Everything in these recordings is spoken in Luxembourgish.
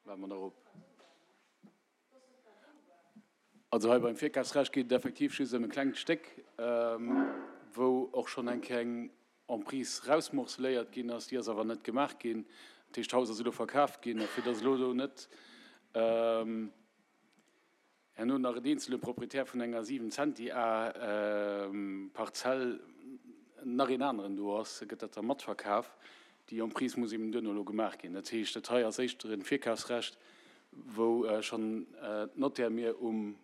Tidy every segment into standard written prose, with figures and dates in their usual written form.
Waarde mer nach op. Also hei beim Virkafsrecht geet et effektiv just ëm e klengt Stéck, wou och schonn eng Kéier eng Emprise rausmorceléiert ginn ass. Déi ass awer net gemaach ginn. Dat heescht, d'Haus ass elo verkaaft ginn. A fir datt elo do net herno nach en eenzele Proprietär vun enger 7 Centi Ar Parzell nach een aneren do ass, gëtt dat da matverkaf. Déi Emprise muss eben duerno elo gemaach ginn. Dat heescht, dat hei ass éischter e Virkafsrecht, wou schonn d'Notaire mir um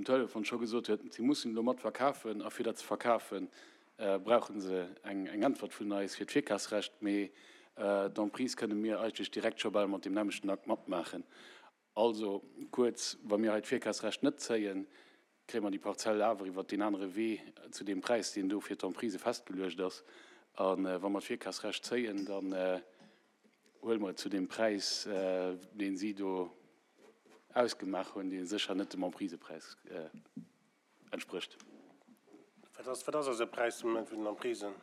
Telefon scho gesot huet, si mussen elo mat verkafen a fir dat ze verkafen, brauche se eng Äntwert vun eis fir d'Virkafsrecht. Mee d'Emprise kënne mir eigentlech direkt scho bal mat deem nämmlechten Akt matmaachen. Also kuerz, wa mir hei d'Virkafsrecht net zéien, kréie mer déi Parzell awer iwwert deen anere Wee zu deem Präis, deen do fir d'Emprise festgeluecht ass. A wa mer d'Virkafsrecht zéien, dann huele mer et zu deem Präis, dee si do ausgemaach hunn, dee sécher net dem Emprisepräis entsprécht. Wat ass, wat ass eise Präis de Moment vun den Emprisen?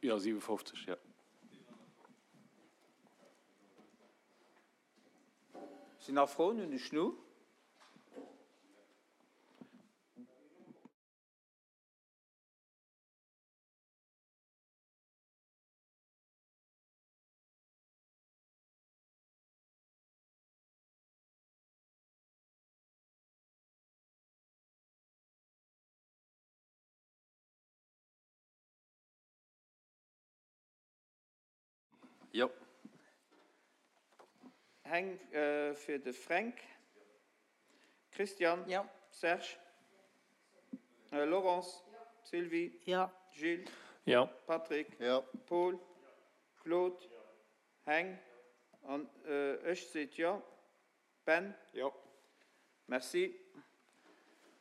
Jo, 57, jo. Sinn nach Froen? Hunn ech nu. Jo. Heng fir de Fränk. Christian. Jo. Serge. Laurence. Sylvie. Jo. Gilles. Jo. Patrick. Jo. Paul. Claude. Heng. An ech seet jo. Ben. Jo. Merci.